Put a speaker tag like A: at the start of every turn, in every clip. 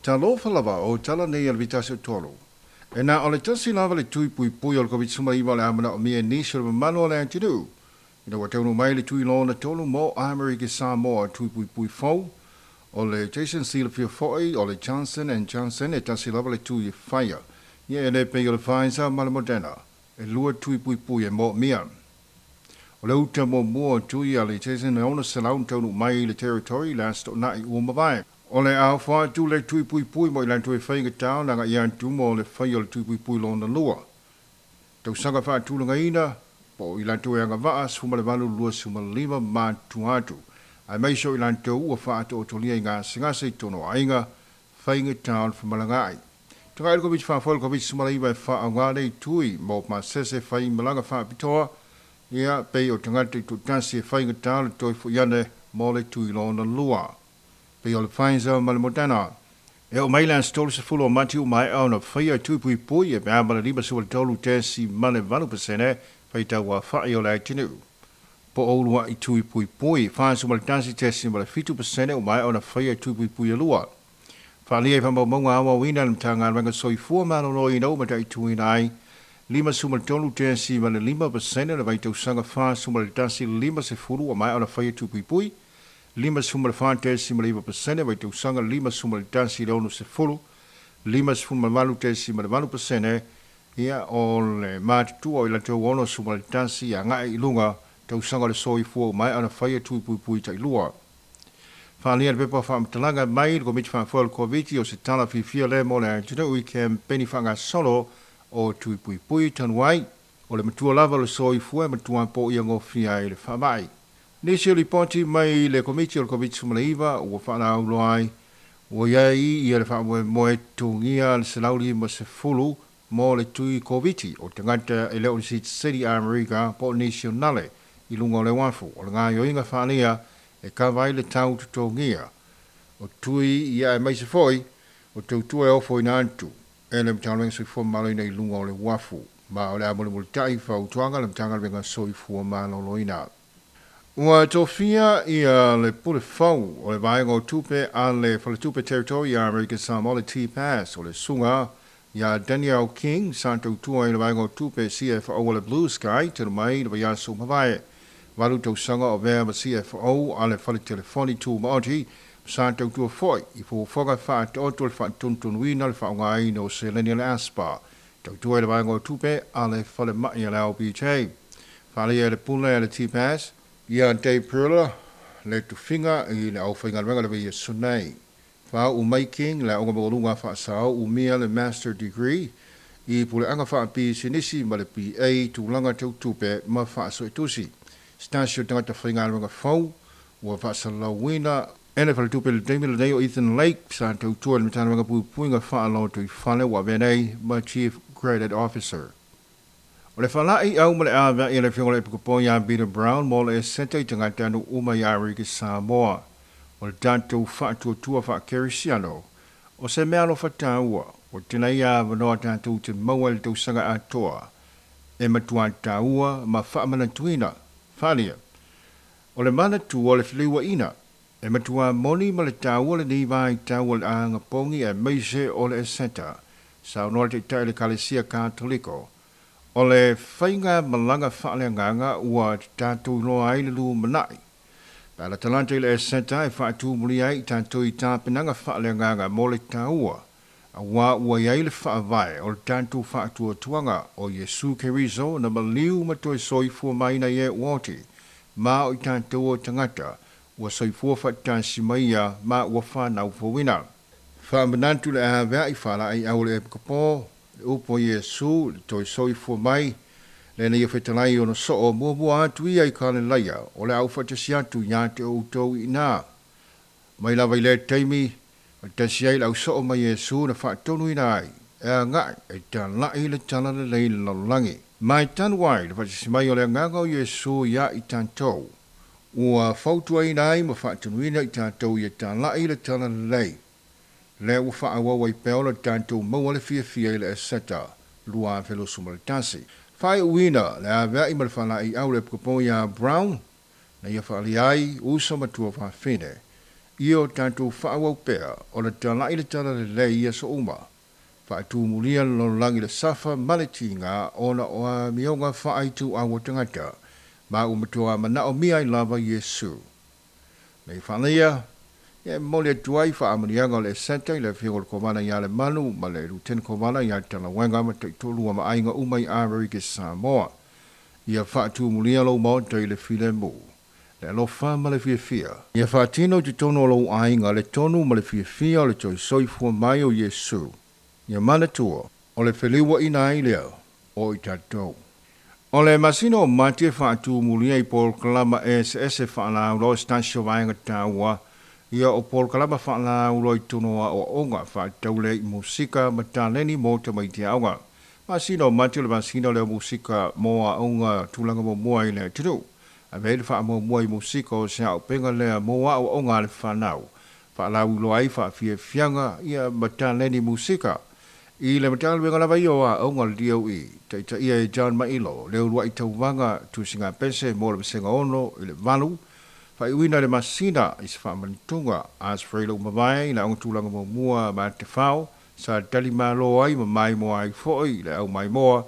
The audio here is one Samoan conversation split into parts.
A: Talofa lava o tala nei a le vitasi o tolu. E na o le tasi lava le tui pui pui o le COVID-19 o le amana o mia nisi o le mamalo o le atunuu. Ina ua taunu mai le tui lona tolu mo Amerika Samoa tui pui pui fou. O le Jason Silafia foi o le Johnson and Johnson e tasi lava le tui e whaia. Ia e le pei o le Pfizer ma le Moderna. E lua tui pui pui e mo mia. O le uta mo mua tui a le Jason e ona selau taunu mai le territory last o nai ua mawai. O le au wha tu le tui pui pui mo i lan tui whainga tau nanga i an tumo le whai o le tui pui pui lona lua. Tau sanga wha tūlanga ina, po i lan tui anga waa 18 25 ma tuatu. Ai mai so i lan tau ua wha atu o tolia i ngā singase i tono ainga whainga tau whamalanga ai. Tunga il COVID wha fol COVID-19 e wha au ngā nei tui mo ma sese whai malanga wha pitoa, ia pei o tangata i tūtasi e whainga tau le toi fu iane mo le tui lona lua. Pei o le Pfizer ma le Moderna. E o mai lan stolu se fulo o mati u mai au na whaia tui pui pui e mea ma le 53.8% whai tau wā whai o le aitinu. Po o lua i tui pui pui, 41.7% o mai au na whaia tui pui pui e lua. Whalia i whamaumaunga awa wina le mtanga ranga soifua malolo i nau mata i tui nai. 53.5% le vaitausanga 41.50 o mai au na whaia tui pui pui. 54.9% vaitausanga 51.60, 58.8% ia o le matutua o i latou 61 a ngai i lunga tausaga le soifua mai ana whaia tui pui pui tai lua. Whalia le pepa whaamtalanga mai le komiti whaafua le COVID o se tala fiafia le mo le atunuu i kempeni whangasolo o tui pui pui tanuai o le matua lava le soifua matua po ia ngofia i le whaamai. Nisi o lipoti mai le komiti o le COVID-19 ua whaanaulo ai, ua iai ia le whaamoe moe tungia le selauli ma se fulu mo le tui COVID o tangata e leo ni City Amerika po nationale i lunga o le wafu. O le ngā yoinga whaalia e kawai le tau tutongia. O tui ia e maise foi o tautua e ofo ina antu e le mtālwenga soifua maloloina i lunga o le wafu. Ma o le amole tai whautuanga le mtālwenga soifua maloloina. Ua tofia ia le pule fau o le vaenga o tupe a le Faletupe Territory ia American Samoa le T-Pass o le sunga ia Daniel King sa tautua i le vaenga o tupe CFO o le Blue Sky te mai le vaiaso mavae. 8 tausaga o vea ma CFO a le fale telefoni tu maoti sa tautua foi i fuafuaga whaatoto le whaatuntunuina le whaongaina o seleni le ASPA. Tautua i le vaenga o tupe a le fale mai a le LBJ. Whalia le pule a le T-Pass ia Dave Perla le tufinga i le au whaingaluega le vea sunai. Wha u mai King le onga mawalunga wha sao u mia le Master Degree i pule anga wha pisinisi ma le PA tūlanga tau tupe ma wha soetusi. Stasio tangata whaingaluega fau ua wha salawina ene whale tupe le taimi le nei o Ethan Lake sa tautua le mtānuega puipuiga wha aloto i whale wa venei ma Chief Credit Officer. O le whalai au ma le awea i le whionga le pukupo ia Peter Brown mo le seta i tangata anu uma i Amerika Samoa. O le tātou whaatuatua wha-kerisiano. O se mea alofa tāua, o tēnei ia wanoa tātou te maua le tausaga atoa. E matua tāua ma whaamanatuina, whalia. O le manatu o le whiliwa ina. E matua moni ma le tāua le ni vai tāua le anga pongi e meise o le eseta. Sa noa te tai le Kalesia Katoliko. O le whainga malanga whaaleanganga ua tātou loa ai le lu manai. Pā la talanta i le eseta e whaatu muli ai i tātou i tāpenanga whaaleanganga mo le tāua. A wā ua iai le whaavae o le tātou whaatuatuanga o Yesu Keriso na maliu ma toi soifua maina i e uoti. Ma o i tātou o tangata ua soifua whaatasi maia ma ua whanau fawina. Whaamanantu le awea i whala ai au le epikapo. Le upo Yesu, le toi soifua mai, le nei whetalai ono soo mua mua atu ia i ka le laia, o le au whatasi atu ia te o tau i nā. Mai lava i le taimi, o tasi ai lau soo mai Yesu na whaatonu ina ai, e a ngai, e tālai le tala le lei lalolangi. Mai tanu ai, le whatasi mai o le anganga o Yesu ia i tātou. Ua fautua ina ai ma whaatonuina i tātou i e tālai le tala le lei. Le ua whaawawa i peola tātou maua le fiafia i le eseta, lua felosu ma le tasi. Whai uina, le awea i ma le whalai au le pukapo ia Brown, na ia whaali ai, uso matua whawhine. Ia o tatou faaauau pea ona talai le talalelei i aso uma, faatumulia le lalolagi i le safa ma le tiga ona o amioga faaituau a tagata, ma ua matua manaomia ai lava Iesu. Nei faalaia, ia e momoli atu ai faamanuiaga o le Eseta i le Afioga i le Kovana ia Lemanu ma le Lutene Kovana ia Talauega ma taitoalua ma aiga uma i Amerika Samoa. Ia faatumulia lou maota i le filemu, le alofa ma le fiafia. Ia faatino i totonu o lou aiga le tonu ma le fiafia o le toe soifua mai o Iesu. Ia manatua, o le feliuaina ai lea o i tatou. O le masina o Mati e faatumulia i polokalama eseese faalauiloa se tasi o vaega taua ia o polokalama faalauiloa i totonu o aoaoga faatatau lea i musika ma taleni mo tamaiti aoga. Masina o Mati o le masina lea o musika mo aoga tulaga muamua i le atunuu. Ave ai le faamuamua i musika o se auupega lea mo aoaoga a le fanau. Faalauiloa ai faafiafiaga ia ma taleni musika. I le Matagaluega lava ia o Aoga o le DOE, taitaia e John Mailo, le uluai tauvaga tusiga pese mo le Vasega 6 i le 8, faaiuina i le masina i se faamanatuga a Sfreila ua mavae i le Aoga Tulaga Muamua ma Tefao, sa talimalo ai ma maimoa ai foi le au maimoa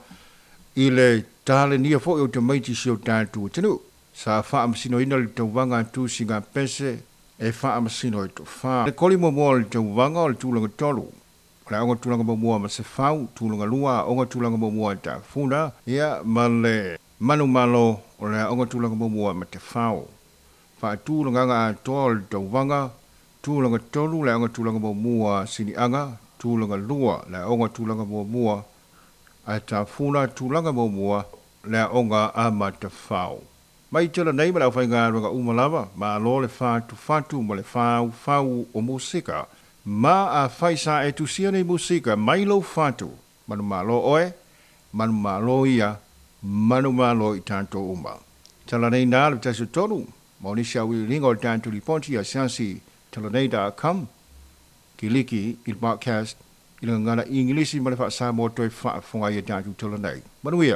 A: i le talenia foi o tamaiti si o tatou atunuu. Sa faamasinoina le tauvaga a tusiga pese e faamasino e toafa. Le koli muamua o le tauvaga o le tulaga 3, o le Aoga Tulaga Muamua ma Sefau, tulaga 2, Aoga Tulaga Muamua e Tafuna, ia ma le Manumalo o le Aoga Tulaga Muamua ma Tefao. Faatulagaga atoa o le tauvaga, tulaga 3 le Aoga Tulaga Muamua Siniaga, tulaga 2 le Aoga Tulaga Muamua a Tafuna, tulaga muamua le Aoga a Matafao. Mai tala nei ma le aufaigaluega uma lava, malo le fatufatu ma le faufau o musika. Ma afai sa e tusia nei musika mai lou fatu, manumalo oe, manumalo ia, manumalo i tatou uma. Tala nei na le tasi o tolu, ma o nisi auiliiliga o le tatou lipoti asiasi talanei.com, kiliki i le podcast i le gagana Igilisi ma le faa-Samoa toe faafofoga ai i a tatou tala nei. Manuia!